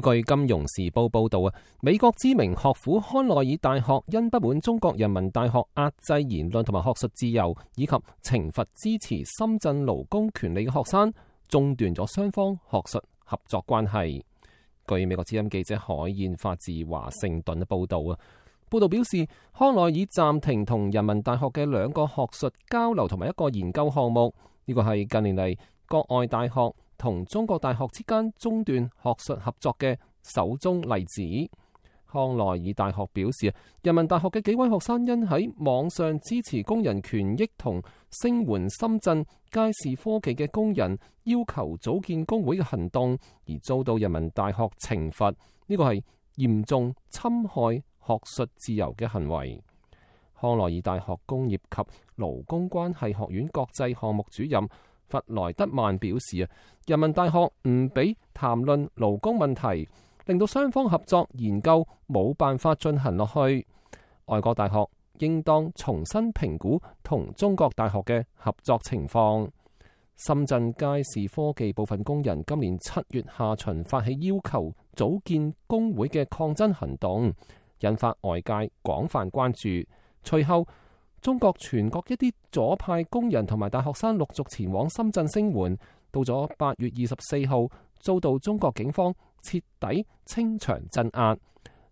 據金融時報報道美國知名學府康奈爾大學因不滿中國人民大學壓制言論同埋學術自由，以及懲罰支持深圳勞工權利嘅學生，中斷咗雙方學術合作關係。據美國之音記者海燕發自華盛頓嘅報道報道表示，康奈爾暫停同人民大學嘅2個學術交流同埋1個研究項目，呢個係近年嚟國外大學同中國大學之間中斷學術合作嘅首宗例子。康奈爾大學表示，人民大學嘅幾位學生因喺網上支持工人權益同聲援深圳佳士科技嘅工人要求組建工會嘅行動，而遭到人民大學懲罰。呢個係嚴重侵害學術自由嘅行為。康奈爾大學工業及勞工關係學院國際項目主任弗萊德曼表示人民大學唔俾談論勞工問題，令到雙方合作研究冇辦法進行落去。外國大學應當重新評估同中國大學嘅合作情況。深圳佳士科技部分工人今年7月下旬發起要求組建工會嘅抗爭行動，引發外界廣泛關注。隨後中國全國一啲左派工人同埋大學生陸續前往深圳聲援，到咗8月24號遭到中國警方徹底清場鎮壓，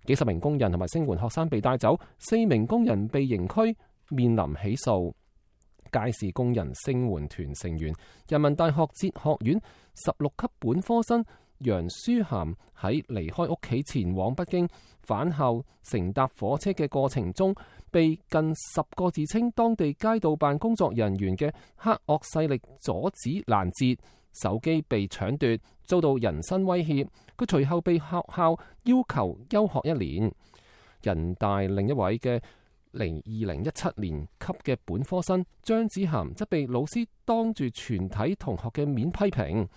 幾十名工人同埋聲援學生被帶走，4名工人被刑拘，面臨起訴。佳士工人聲援團成員、人民大學哲學院16級本科生楊舒涵喺離開屋企前往北京返校乘搭火車嘅過程中，被近10個自稱當地街道辦工作人員嘅黑惡勢力阻止攔截，手機被搶奪，遭到人身威脅。佢隨後被學校要求休學1年。人大另一位嘅2017年級嘅本科生張子涵則被老師當住全體同學嘅面批評，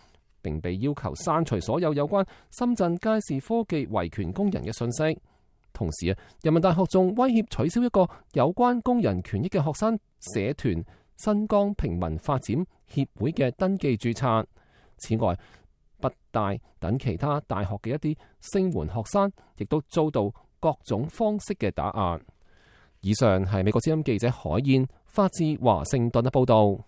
並被要求刪除所有有關深圳佳士科技維權工人嘅信息。同時人民大學仲威脅取消一個有關工人權益嘅學生社團新疆平民發展協會嘅登記註冊。此外，北大等其他大學嘅一啲聲援學生亦都遭到各種方式嘅打壓。以上係美國之音記者海燕發自華盛頓嘅報道。